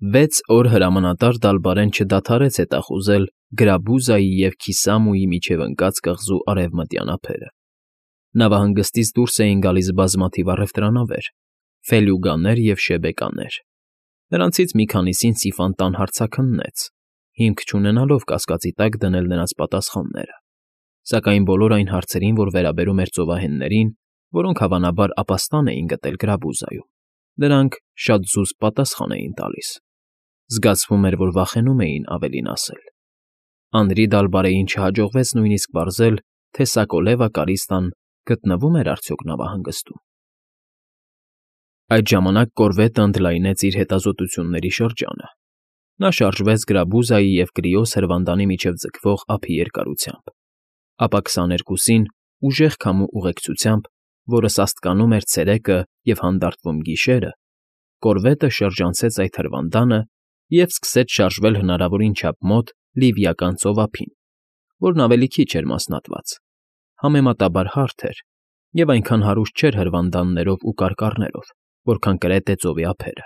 6 օր հրամանատար Դալբարեն չդադարեց հետախուզել Գրաբուզայի և Քիսամուի միջև ընկած կղզու արևմտյան ափերը. նավահանգստից դուրս էին գալիս բազմաթիվ առևտրանավեր, ֆելյուգաներ և շեբեկաներ. նրանցից մի քանիսին Սիֆան տան հարցաքննեց, հիմք չունենալով կասկածի տակ դնել նրանց պատասխանները, սակայն բոլոր այն հարցերին, որ վերաբերում էր ծովահեններին, որոնք հավանաբար ապաստան էին գտել Գրաբուզայում, նրանք շատ զուսպ պատասխան էին տալիս. զգացվում էր, որ վախենում էին ավելին ասել. Անրի Դալբարեին չհաջողվեց նույնիսկ պարզել, թե Սակոլևա Կարիստան գտնվում էր արդյոք նավահանգստում։ Այդ ժամանակ կորվետը ընդլայնեց իր հետազոտությունների շրջանը. նա շարժվեց Գրաբուզայի և Կրիոս հրվանդանի միջև ձգվող ափի երկարությամբ, ապա 22-ին ուժեղ քամու ուղեկցությամբ, որը սաստկանում էր ցերեկը և հանդարտվում գիշերը, կորվետը շրջանցեց այդ հրվանդանը և սկսեց շարժվել հնարավորին չափ մոտ Լիվիական ծովափին, որն ավելի քիչ էր մասնատված, համեմատաբար հարթ էր և այնքան հարուստ չէր հրվանդաններով ու կարկառներով, որքան Կրետե ծովի ափերը։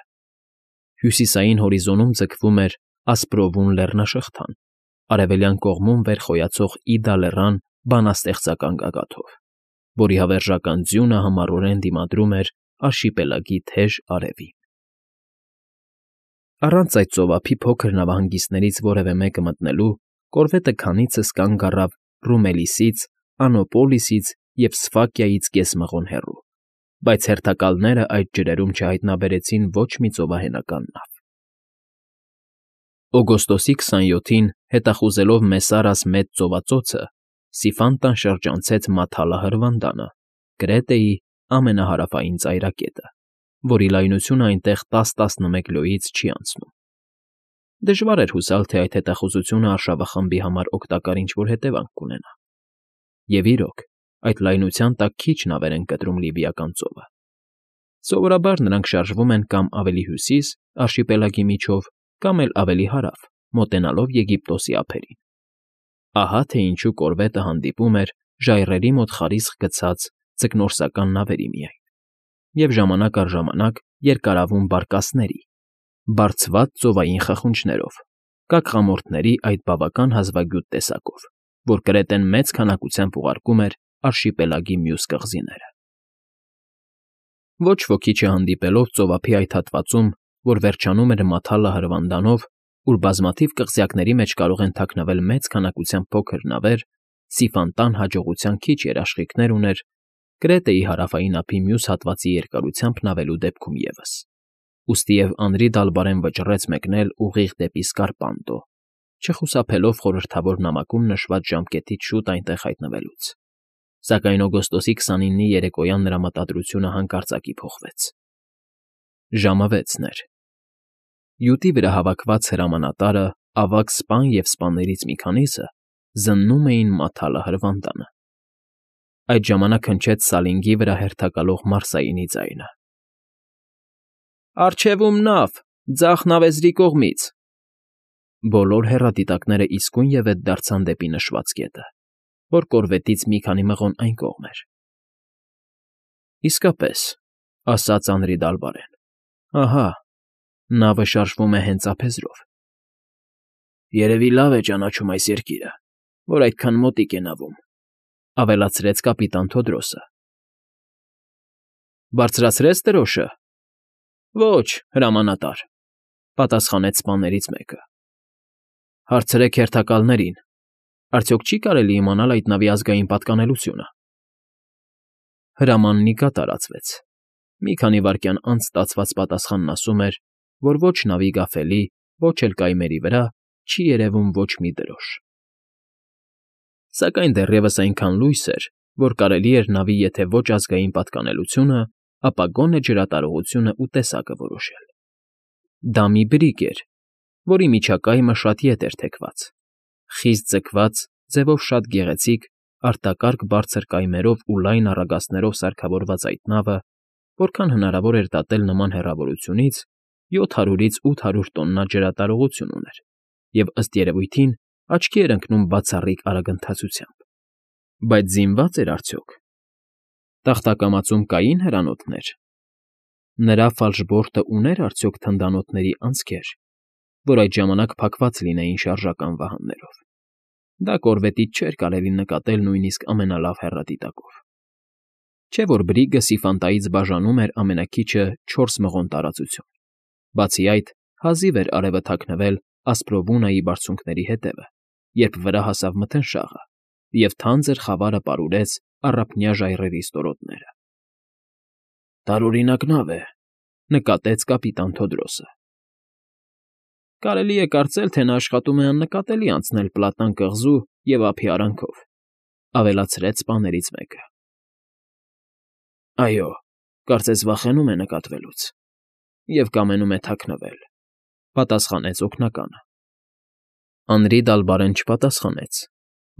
Հյուսիսային հորիզոնում ձգվում էր Ասպրովուն լեռնաշղթան, արևելյան կողմում վեր խոյացող Իդա լեռան բանաստեղծական գագաթով, որի հավերժական ձյունը համառորեն դիմադրում էր արշիպելագի թեժ արևին։ Առանց այդ ծովափի փոքր նավահանգիստներից որևէ մեկը մտնելու, կորվետը քանիցս կանգ առավ Ռումելիսից, Անոպոլիսից և Սֆակիայից կեսմղոն հեռու, բայց հերթակալները այդ ջրերում չհայտնաբերեցին ոչ մի ծովահենական նավ։ Օգոստոսի 27-ին, հետախուզելով Մեսարաս մեծ ծովածոցը, Սիֆան տան շրջանցեց Մաթալա հրվանդանը, Կրետեի ամենահարավային ծայրակետը, որի լայնությունը այնտեղ 10-11 լյոյից չի անցնում։ Դժվար էր հուսալ, թե այդ հետախուզությունը արշավախմբի համար օգտակար ինչ֊որ հետևանք կունենա։ Եվ իրոք, այդ լայնության տակ քիչ նավեր են կտրում Լիվիական ծովը։ Սովորաբար նրանք շարժվում են կամ ավելի հյուսիս արշիպելագի միջով, կամ էլ ավելի հարավ, մոտենալով Եգիպտոսի ափերին։ Ահա թե ինչու կորվետը հանդիպում էր ժայռերի մոտ խարիսխ գցած ձկնորսական նավերի միայն, և ժամանակ առ ժամանակ երկարավուն բարկասների, բարձված ծովային խխունջներով, կակղամորթների այդ բավական հազվագյուտ տեսակով, որ Կրետեն մեծ քանակությամբ ուղարկում էր արշիպելագի մյուս կղզիները։ Ոչ ոքի չհանդիպելով ծովափի այդ հատվածում, որ վերջանում էր Մաթալա հրվանդանով, ուր բազմաթիվ կղզյակների մեջ կարող են թաքնվել մեծ քանակությամբ փոքր նավեր, Սիֆան տան հաջողության քիչ երաշխիքներ ուներ Կրետեի հարավային ափի մյուս հատվածի երկարությամբ նավելու դեպքում ևս, ուստիև Անրի Դալբարեն վճռեց մեկնել ուղիղ դեպի Սկարպանդո, չխուսափելով խորհրդավոր նամակում նշված ժամկետից շուտ այնտեղ հայտնվելուց, սակայն օգոստոսի 29-ի երեկոյան նրա մտադրությունը հանկարծակի փոխվեց։ Ժամը 6-ն էր։ Յուտի վրա հավաքված հրամանատարը, ավագ սպան և սպաներից մի քանիսը զննում էին Մաթալա հրվանդանը։ Այդ ժամանակ հնչեց Սալինգի վրա հերթակալող Մարսայինի ձայնը. «Առջևում նավ, ձախ նավեզրի կողմից»։ Բոլոր հեռադիտակները իսկույնևեթ դարձան դեպի նշված կետը, որ կորվետից մի քանի մղոն այն կողմ էր։ «Իսկապես», ասաց Անրի Դալբարեն, «ահա, նավը շարժվում է հենց ափեզրով»։ «Երևի լավ է ճանաչում այս երկիրը, որ այդքան մոտիկ է նավում», ավելացրեց կապիտան Թոդրոսը։ «Բարձրացրե՞ց դրոշը»։ «Ոչ, հրամանատար», պատասխանեց սպաներից մեկը։ «Հարցրեք հերթակալներին, արդյոք չի՞ կարելի իմանալ այդ նավի ազգային պատկանելությունը»։ Հրամանն տարածվեց։ Մի քանի վայրկյան անց ստացված պատասխանն ասում էր, որ ոչ նավի գավելի, ոչ էլ կայմերի վրա չի երևում ոչ մի դրոշ։ Սակայն դեռևս այնքան լույս էր, որ կարելի էր նավի եթե ոչ ազգային պատկանելությունը, ապա գոնե ջրատարողությունն ու տեսակը որոշել։ Դա մի բրիգ էր, որի միջակայքը շատ ետ էր թեքված, խիստ ձգված, ձևով շատ գեղեցիկ, արտակարգ բարձր կայմերով ու լայն առագաստներով սարքավորված այդ նավը, որքան հնարավոր էր դատել նման հեռավորությունից, 700-ից 800 տոննա ջրատարողություն ուներ և, ըստ երևույթին, աչքի էր ընկնում բացառիկ արագընթացությամբ։ Բայց զինվա՞ծ էր արդյոք։ Տախտակամածում կային հրանոթներ։ Նրա ֆալշբորտը ուներ արդյոք թնդանոթների անցքեր որ այդ ժամանակ փակված լինեին շարժական վահաններով։ Դա կորվետից չէր կարելի նկատել նույնիսկ ամենալավ հեռադիտակով։ Չէ՞ որ բրիգը Սիֆանտայից բաժանում էր ամենաքիչը 4 մղոն տարածություն։ Բացի այդ, հազիվ էր արևը թաքնվել Ասպրովունայի բարձունքների հետևը, երբ վրա հասավ մթնշաղը, և թանձր խավարը պարուրեց առափնյա ժայռերի ստորոտները։ «Տարօրինակ նավ է,֊ նկատեց կապիտան Թոդրոսը։ «Կարելի է կարծել, թե նա աշխատում է աննկատելի անցնել Պլատան կղզու և ափի արանքով,֊ ավելացրեց սպաներից մեկը։ Այո, կարծես վախենում է նկատվելուց և կամենում է թաքնվել,֊ պատասխանեց օգնականը։ Անրի Դալբարեն չպատասխանեց,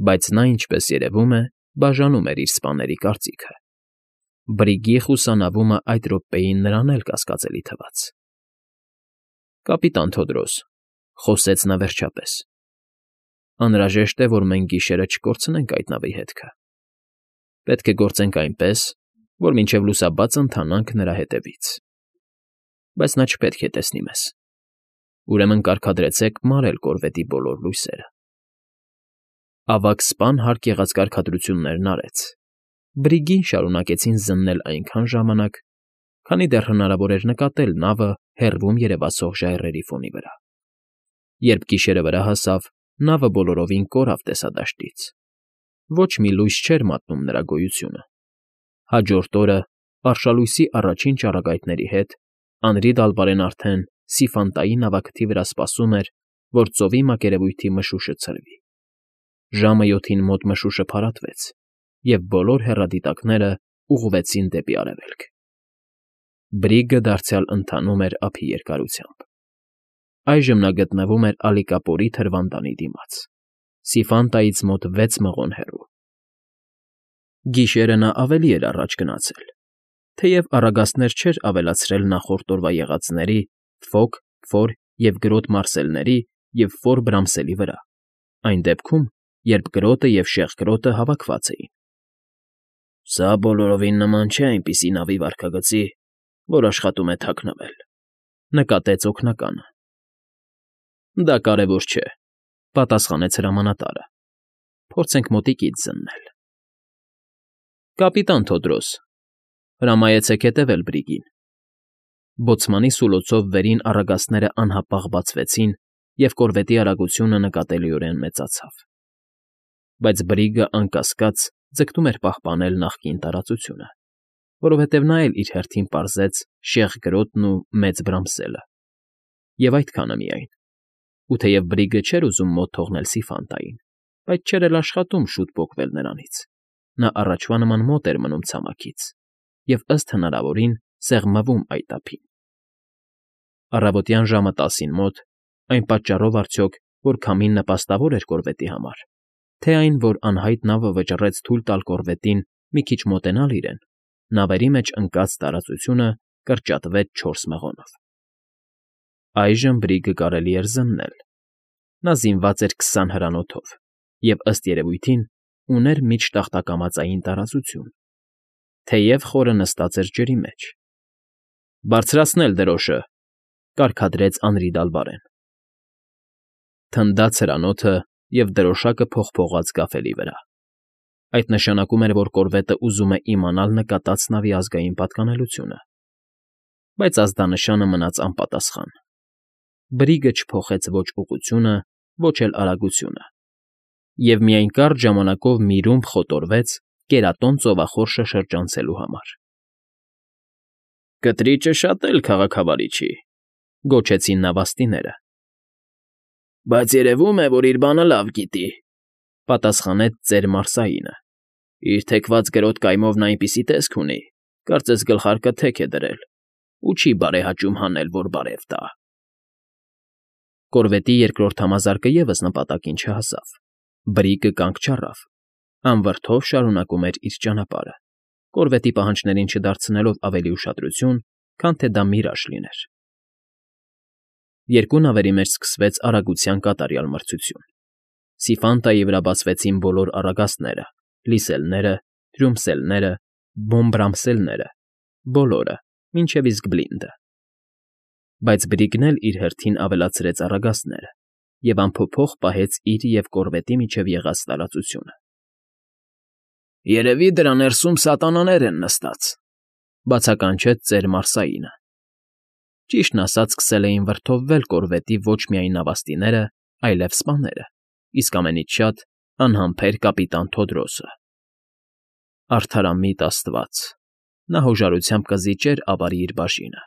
բայց նա, ինչպես երևում է, բաժանում էր իր սպաների կարծիքը։ Բրիգի խուսանավումը այդ րոպեին նրան էլ կասկածելի թվաց։ «Կապիտան Թոդրոս,֊ խոսեց նա վերջապես,֊ անհրաժեշտ է, որ մենք գիշերը չկորցնենք այդ նավի հետքը։ Պետք է գործենք այնպես, որ մինչև լուսաբաց ընթանանք նրա հետևից։ Բայց նա չպետք է տեսնի մեզ։ Ուրեմն կարգադրեցեք մարել կորվետի բոլոր լույսերը»։ Ավագ սպան հարկ եղած կարգադրություններն արեց։ Բրիգին շարունակեցին զննել այնքան ժամանակ, քանի դեռ հնարավոր էր նկատել նավը հեռվում երևացող ժայռերի ֆոնի վրա։ Երբ գիշերը վրա հասավ, նավը բոլորովին կորավ տեսադաշտից։ Ոչ մի լույս չէր մատնում նրա գոյությունը։ Հաջորդ օրը, արշալույսի առաջին ճառագայթների հետ, Անրի Դալբարեն արդեն Սիֆանտայի նավակթի վրա սպասում էր, որ ծովի մակերևույթի մշուշը ցրվի։ Ժամը 7-ին մոտ մշուշը փարատվեց, և բոլոր հեռադիտակները ուղղվեցին դեպի արևելք։ Բրիգը դարձյալ ընթանում էր ափի երկարությամբ։ Այժմ նա գտնվում էր Ալիկապորի թրվանդանի դիմաց, Սիֆանտայից մոտ 6 մղոն հեռու։ Գիշերը նա ավելի էր առաջ գնացել, թեև առագաստներ չէր ավելացրել նախորդ օրվա եղածների Ֆոկ, Ֆոր և Գրոտ մարսելների և Ֆոր Բրամսելի վրա, այն դեպքում, երբ Գրոտը և Շեղկրոտը հավաքված էին։ «Սա բոլորովին նման չէ այնպիսի նավի վարքագծի, որ աշխատում է թաքնվել,֊ նկատեց օգնականը։ Դա կարևոր չէ,֊ պատասխանեց հրամանատարը։ Փորձենք մոտիկից զննել։ Կապիտան Թոդրոս, հրամայեցեք հետևել բրիգին։ Բոցմանի սուլոցով վերին առագաստները անհապաղ բացվեցին, և կորվետի արագությունը նկատելիորեն մեծացավ։ Բայց բրիգը, անկասկած, ձգտում էր պահպանել նախկին տարածությունը, որովհետև նա էլ իր հերթին պարզեց Շեղկրոտն ու Մեծ Բրամսելը։ Եվ այդքանը միայն։ Ու թեև բրիգը չէր ուզում մոտ թողնել Սիֆանտային, բայց չէր էլ աշխատում շուտ պոկվել նրանից։ Նա առաջվա նման մոտ էր մնում ցամաքից և ըստ հնարավորին սեղմվում այդ ափին։ Առավոտյան ժամը 10-ին մոտ, այն պատճառով արդյոք, որ քամին նպաստավոր էր կորվետի համար, թե այն, որ անհայտ նավը վճռեց թույլ տալ կորվետին մի քիչ մոտենալ իրեն, նավերի մեջ ընկած տարածությունը կրճատվեց 4 մղոնով։ Այժմ բրիգը կարելի էր զննել։ Նա զինված էր 20 հրանոթով և, ըստ երևույթին, ուներ միջտախտակամածային տարածություն, թեև խորը նստած էր ջրի մեջ։ «Բարձրացնել դրոշը,֊ կարգադրեց Անրի Դալբարեն։ Թնդաց հրանոթը, և դրոշակը փողփողաց գավելի վրա։ Այդ նշանակում էր, որ կորվետը ուզում է իմանալ նկատած նավի ազգային պատկանելությունը։ Բայց ազդանշանը մնաց անպատասխան։ Բրիգը չփոխեց ոչ ուղղությունը, ոչ էլ արագությունը, և միայն կարճ ժամանակով մի ռումբ խոտորվեց Կերատոն ծովախորշը շրջանցելու համար։ «Կտրիճը շատ էլ քաղաքավարի չի,֊ գոչեցին նավաստիները։ Բայց երևում է, որ իր բանը լավ գիտի,֊ պատասխանեց ծեր Մարսայինը։ Իր թեքված գրոտ կայմով նա այնպիսի տեսք ունի, կարծես գլխարկը թեք է դրել ու չի բարեհաճում հանել, որ բարև տա։ Կորվետի երկրորդ համազարկը ևս նպատակին չհասավ։ Բրիգը կանգ չառավ, անվրդով շարունակում էր իր ճանապարհը, կորվետի պահանջներին չդարձնելով ավելի ուշադրություն, քան թե դա միրաժ լիներ։ Երկու նավերի մեջ սկսվեց արագության կատարյալ մրցություն։ Սիֆանտայի վրա բացվեցին բոլոր առագաստները, լիսելները, թրյումսելները, բոմբրամսելները, բոլորը, մինչև իսկ Բլինդը։ Բայց Բրիգն էլ իր հերթին ավելացրեց առագաստները և անփոփոխ պահեց իր և կորվետի միջև եղած տարածությունը։ «Երևի դրա ներսում սատանաներ են նստած,֊ բացականչեց ծեր Մարսայինը։ Ճիշտն ասած, սկսել էին վրդովվել կորվետի ոչ միայն նավաստիները, այլև սպաները, իսկ ամենից շատ անհամբեր կապիտան Թոդրոսը։ Արդարամիտ աստված, նա հոժարությամբ կզիջեր ավարի իր բաժինը,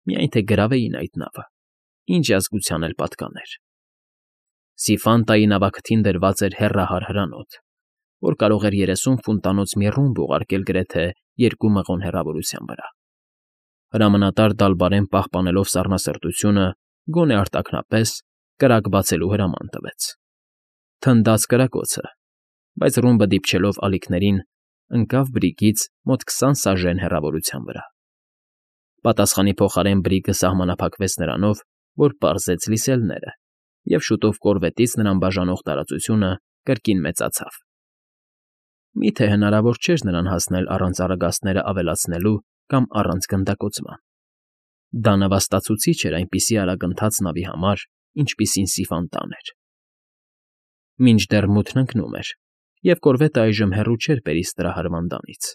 միայն թե գրավեին այդ նավը, ինչ ազգության էլ պատկաներ։ Սիֆանտայի նավակթին դրված էր հեռահար հրանոթ, որ կարող էր 30 ֆունտանոց մի ռումբ ուղարկել գրեթե 2 մղոն հեռավորության վրա։ Հրամանատար Դալբարեն պահպանելով սառնասրտությունը, գոնե արտաքնապես, կրակ բացելու հրաման տվեց։ Թնդաց կրակոցը, բայց ռումբը դիպչելով ալիքներին, ընկավ Բրիգից մոտ 20 սաժեն հեռավորության վրա։ Պատասխանի փոխարեն Բրիգը սահմանափակվեց նրանով, որ պարզեց լիսելները, և շուտով կորվետից նրան բաժանող տարածությունը կրկին մեծացավ։ Միթե հնարավոր չէր նրան հասնել առանց առագաստները ավելացնելու կամ առանց գնդակոծման։ Դա նվաստացուցիչ էր այնպիսի արագընթաց նավի համար, ինչպիսին Սիֆանտան էր։ Մինչդեռ մութն ընկնում էր, և կորվետը այժմ հեռու չէր Պերիստրահարվանդանից։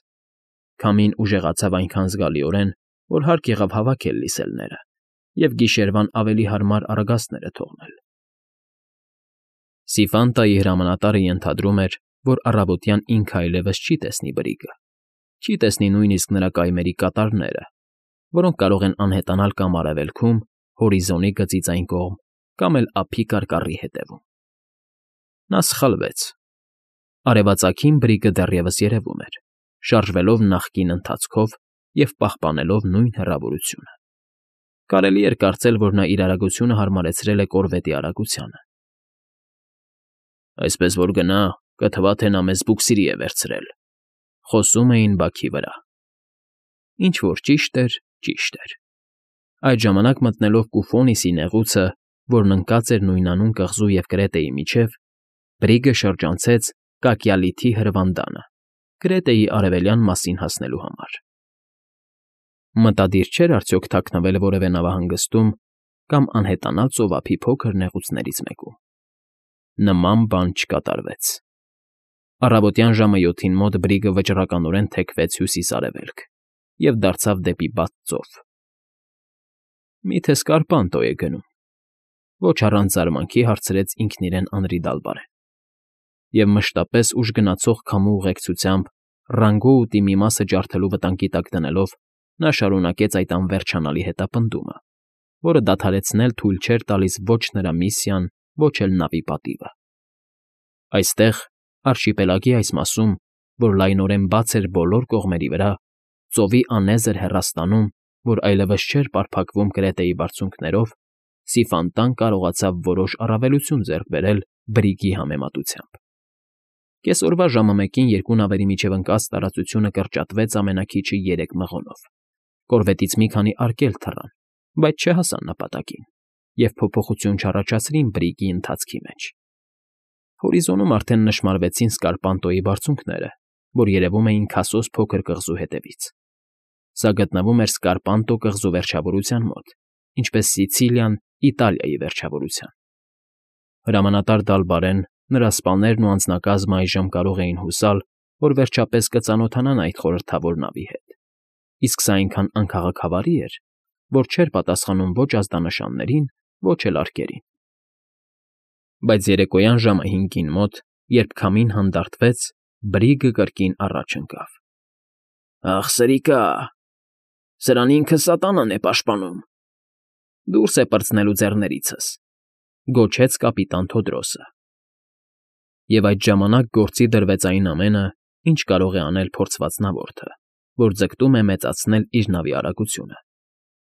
Քամին ուժեղացավ այնքան զգալիորեն, որ հարկ եղավ հավաքել լիսելները և գիշերվան ավելի հարմար առագաստները թողնել։ Սիֆանտայի հրամանատարը ենթադրում էր, որ առավոտյան ինքը այլևս չի տեսնի Բրիգը, չի տեսնի նույնիսկ նրա կայմերի կատարները, որոնք կարող են անհետանալ կամ արևելքում, հորիզոնի գծից այն կողմ, կամ էլ ափի կարկառի հետևում։ Նա սխալվեց։ Արևածագին Բրիգը դեռևս երևում էր, շարժվելով նախկին ընթացքով և պահպանելով նույն հեռավորությունը։ Կարելի էր կարծել, որ նա իր արագությունը հարմարեցրել է կորվետի արագությանը։ «Այսպես որ գնա, կթվա, թե նա մեզ բուքսիրի է վերցրել,֊ խոսում էին բաքի վրա։ Ինչ որ ճիշտ էր, ճիշտ էր։ Այդ ժամանակ մտնելով Կուֆոնիսի նեղուցը, որն ընկած էր նույնանուն կղզու և Կրետեի միջև, Բրիգը շրջանցեց Կակյալիթի հրվանդանը՝ Կրետեի արևելյան մասին հասնելու համար։ Մտադիր չէր արդյոք թաքնվել որևէ նավահանգստում կամ անհետանալ ծովափի փոքր նեղուցներից մեկում։ Նման բան չկատարվեց։ Առավոտյան ժամը 7-ին մոտ Բրիգը վճռականորեն թեքվեց հյուսիս֊արևելք և դարձավ դեպի բաց ծով։ «Միթե Սկարպանտո է գնում,֊ ոչ առանց զարմանքի հարցրեց ինքն իրեն Անրի Դալբարեն, և մշտապես ուժգնացող քամու ուղեկցությամբ ռանգոուտի մի մասը ջարդելու վտանգի տակ դնելով՝ նա շարունակեց այդ անվերջանալի հետապնդումը, որը դադարեցնել թույլ չէր տալիս ոչ նրա միսիան, ոչ էլ նավի պատիվը։ Այստեղ, արշիպելագի այս մասում, որ լայնորեն բաց էր բոլոր կողմերի վրա, ծովի անեզր հեռաստանում, որ այլևս չէր պարփակվում Կրետեի բարձունքներով, Սիֆանտան կարողացավ որոշ առավելություն ձեռք բերել Բրիգի համեմատությամբ։ Կեսօրվա ժամը 1-ին երկու նավերի միջև ընկած տարածությունը կրճատվեց ամենաքիչը 3 մղոնով։ Կորվետից մի քանի արկել թռան, բայց չհասան նպատակին և փոփոխություն չառաջացրին Բրիգի ընթացքի մեջ։ Հորիզոնում արդեն նշմարվեցին Սկարպանտոյի բարձունքները, որ երևում էին Քասոս փոքր կղզու հետևից։ Սա գտնվում էր Սկարպանտո կղզու վերջավորության մոտ, ինչպես Սիցիլիան Իտալիայի վերջավորության։ Հրամանատար Դալբարեն, նրա սպաներն ու անձնակազմը այժմ կարող էին հուսալ, որ վերջապես կծանոթանան այդ խորհրդավոր նավի հետ, իսկ սա այնքան անքաղաքավարի էր, որ չէր պատասխանում ոչ ազդանշաններին, ոչ էլ արկերին։ Բայց երեկոյան ժամը 5-ին մոտ, երբ քամին հանդարտվեց, Բրիգը կրկին առաջ ընկավ։ «Ախ, սրիկա, սրան ինքը սատանան է պաշտպանում, դուրս է պրծնելու ձեռներիցս,֊ գոչեց կապիտան Թոդրոսը։ Եվ այդ ժամանակ գործի դրվեց այն ամենը, ինչ կարող է անել փորձված նավորդը, որ ձգտում է մեծացնել իր նավի արագությունը։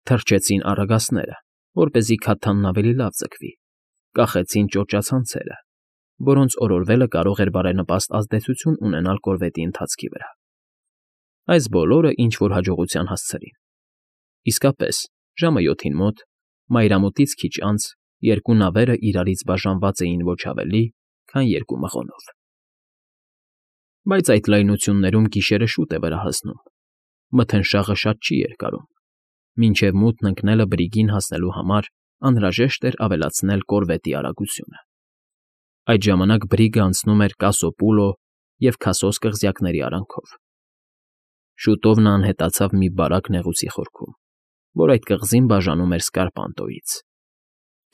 Թրջեցին առագաստները, որպեսզի քաթանն ավելի լավ ձգվի, կախեցին ճոճացանցերը, որոնց օրորվելը կարող էր բարենպաստ ազդեցություն ունենալ կորվետի ընթացքի վրա։ Այս բոլորը ինչ֊որ հաջողության հասցրին։ Իսկապես, ժամը 7-ին մոտ, մայրամուտից քիչ անց, երկու նավերը իրարից բաժանված էին ոչ ավելի, քան 2 մղոնով։ Բայց այդ լայնություններում գիշերը շուտ է վրա հասնում, մթնշաղը շատ չի երկարում, Մինչև մութն ընկնելը բրիգին հասնելու համար անհրաժեշտ էր ավելացնել կորվետի արագությունը։ Այդ ժամանակ բրիգը անցնում էր Կասոպուլո և Քասոս կղզյակների արանքով։ Շուտով նա անհետացավ մի բարակ նեղուցի խորքում, որ այդ կղզին բաժանում էր Սկարպանտոյից։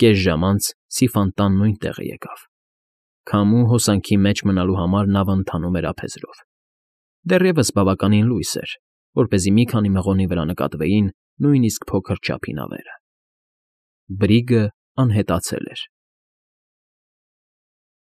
Կես ժամ անց սիֆանտան նույն տեղը եկավ։ Քամու հոսանքի մեջ մնալու համար նավը ընթանում էր ափեզրով։ Դեռևս բավականին լույս էր, որպեսզի մի քանի մղոնի վրա նկատվեին նույնիսկ փոքր չափի նավերը։ Բրիգը անհետացել էր։